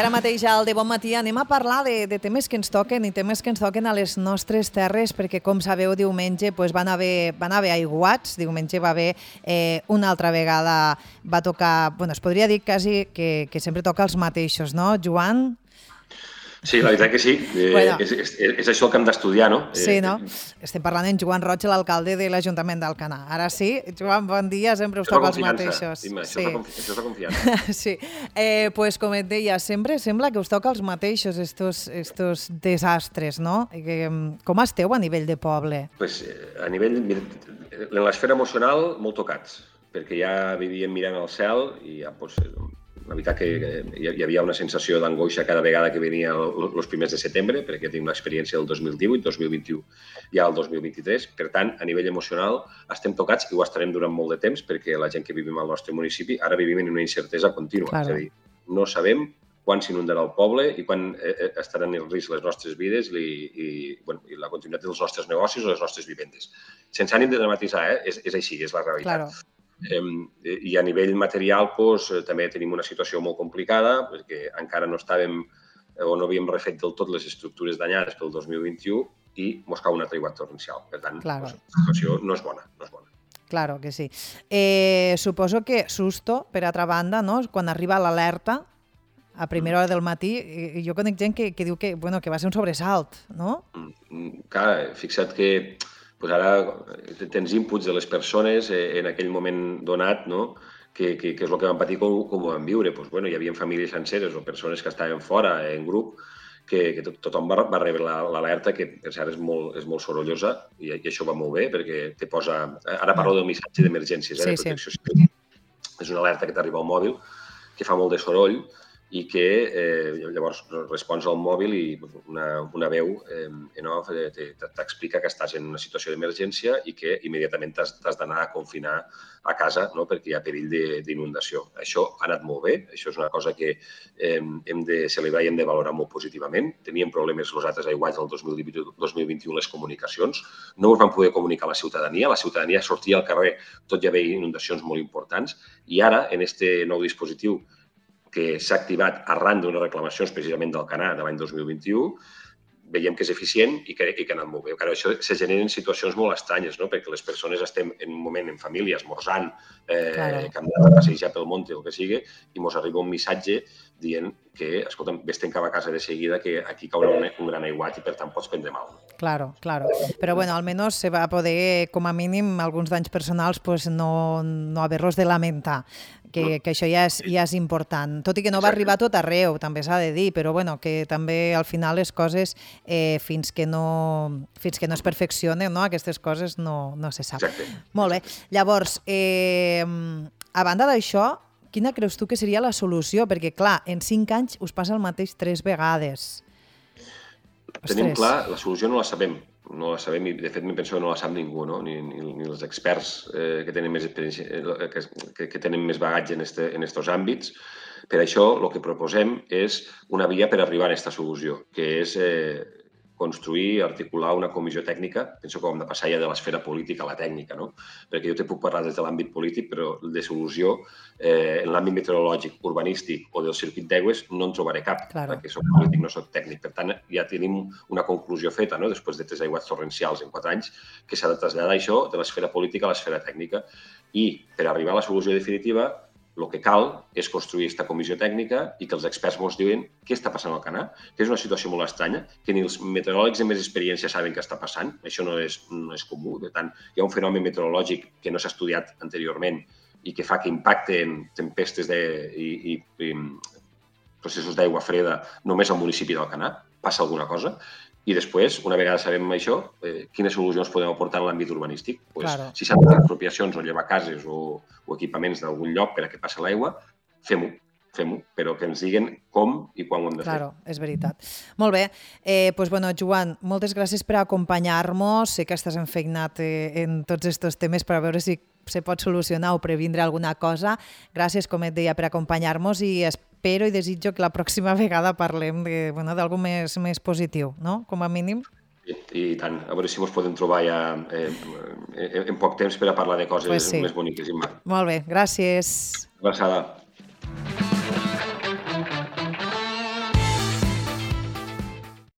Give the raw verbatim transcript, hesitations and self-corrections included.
ara mateix al De Bon Matí anem a parlar de, de temes que ens toquen i temes que ens toquen a les nostres terres, perquè com sabeu diumenge pues, van, haver, van haver aiguats, diumenge va haver eh, una altra vegada, va tocar, bueno, es podria dir quasi que, que sempre toca els mateixos, no, Joan? Sí, la veritat que sí. Eh, bueno. és, és, és això el que hem d'estudiar, no? Sí, no? Estem parlant en Joan Roig, l'alcalde de l'Ajuntament d'Alcanar. Ara sí, Joan, bon dia, sempre us toca els mateixos. Dime, sí. Això és la confiança. sí. Eh, pues, com et deia, sempre sembla que us toca els mateixos, estos, estos desastres, no? Que, com esteu a nivell de poble? Pues, a nivell... En l'esfera emocional, molt tocats, perquè ja vivíem mirant al cel i ja, pues, la veritat que hi havia una sensació d'angoixa cada vegada que venia els primers de setembre, perquè tinc una experiència del dos mil divuit, dos mil vint-i-u i ja el dos mil vint-i-tres. Per tant, a nivell emocional estem tocats i ho estarem durant molt de temps, perquè la gent que vivim al nostre municipi ara vivim en una incertesa contínua. Claro. És a dir, no sabem quan s'inundarà el poble i quan estaran en risc les nostres vides i, i, bueno, i la continuïtat dels nostres negocis o les nostres vivendes. Sense ànim de dramatitzar, eh? és, és així, és la realitat. Claro. Eh, I a nivell material doncs, també tenim una situació molt complicada perquè encara no estàvem o no havíem refet del tot les estructures danyades pel dos mil vint-i-u i mos cau una aiguat torrencial. Per tant, claro. doncs, la situació no és bona. No és bona. Claro que sí. Eh, suposo que susto, per altra banda, no? Quan arriba l'alerta a primera hora del matí, jo conec gent que, que diu que, bueno, que va ser un sobresalt, no? Clar, fixa't que pues ara tens inputs de les persones en aquell moment donat, no? que, que, que és el que van patir com, com ho van viure. Pues, bueno, hi havia famílies senceres o persones que estaven fora en grup, que, que tothom va, va rebre l'alerta, que per cert és molt, és molt sorollosa i, i això va molt bé perquè te posa... Ara parlo del missatge d'emergències, eh, sí, de protecció civil. Sí. És una alerta que t'arriba al mòbil, que fa molt de soroll, i que eh, llavors respons al mòbil i una, una veu eh, en off t'explica que estàs en una situació d'emergència i que immediatament t'has d'anar a confinar a casa, no? Perquè hi ha perill d'inundació. Això ha anat molt bé, això és una cosa que eh, hem de celebrar i hem de valorar molt positivament. Teníem problemes els altres aiguats del dos mil divuit dos mil vint-i-u les comunicacions, no us van poder comunicar a la ciutadania, la ciutadania sortia al carrer tot i haver inundacions molt importants i ara, en este nou dispositiu que s'ha activat arran d'unes reclamacions precisament d'Alcanar de l'any dos mil vint-i-u, veiem que és eficient i que, i que ha anat molt bé. Però això se generen situacions molt estranyes, no? Perquè les persones estem en un moment en família, esmorzant, eh, claro. que hem de passejar pel monte o el que sigui, i ens arriba un missatge dient que, escolta'm, vés te'n cap a casa de seguida, que aquí caurà un, un gran aiguat i per tant pots prendre mal. Claro, claro. Però bueno, almenys se va poder, com a mínim, alguns danys personals, pues no, no haver-los de lamentar. Que, que això ja és, ja és important. Tot i que no va arribar tot arreu, també s'ha de dir, però bueno, que també al final les coses, eh, fins, que no, fins que no es perfeccionen, no? Aquestes coses no, no se sap. Exacte. Molt bé. Llavors, eh, a banda d'això, quina creus tu que seria la solució? Perquè, clar, en cinc anys us passa el mateix tres vegades. Tenim Ostres. clar, la solució no la sabem. No la sabem i, de fet, m'hi penso que no la sap ningú, no? ni, ni, ni els experts eh, que tenen més experiència, eh, que, que tenen més bagatge en aquests en estos àmbits. Per això, el que proposem és una via per arribar a aquesta solució, que és eh, construir, articular una comissió tècnica. Penso que ho hem de passar ja de l'esfera política a la tècnica, no? Perquè jo te puc parlar des de l'àmbit polític, però de solució eh, en l'àmbit meteorològic, urbanístic o del circuit d'aigües no en trobaré cap, claro. perquè soc polític, no soc tècnic. Per tant, ja tenim una conclusió feta, no? Després de tres aiguats torrencials en quatre anys, que s'ha de traslladar això de l'esfera política a l'esfera tècnica. I per arribar a la solució definitiva, el que cal és construir aquesta comissió tècnica i que els experts ens diuen què està passant al Canà, que és una situació molt estranya, que ni els meteoròlegs amb més experiència saben què està passant, això no és, no és comú. Per tant, hi ha un fenomen meteorològic que no s'ha estudiat anteriorment i que fa que impacte en tempestes de, i, i, i processos d'aigua freda només al municipi d'Alcanar, passa alguna cosa. I després, una vegada sabem això, eh, quines solucions podem aportar en l'àmbit urbanístic. Pues, claro. Si s'han de fer expropiacions o llevar cases o, o equipaments d'algun lloc per a què passa l'aigua, fem-ho, fem-ho, però que ens diguen com i quan ho hem de claro, fer. Claro, és veritat. Molt bé. Eh, pues, bueno, Joan, moltes gràcies per acompanyar-nos. Sé que estàs enfeinat eh, en tots aquests temes per a veure si se pot solucionar o previndre alguna cosa. Gràcies, com et deia, per acompanyar-nos i espero i desitjo que la pròxima vegada parlem de, bueno, d'algú més, més positiu, no? Com a mínim. I, i tant. A veure si ens podem trobar ja eh, en poc temps per a parlar de coses pues sí. més boniques. Molt bé, gràcies. Una abraçada.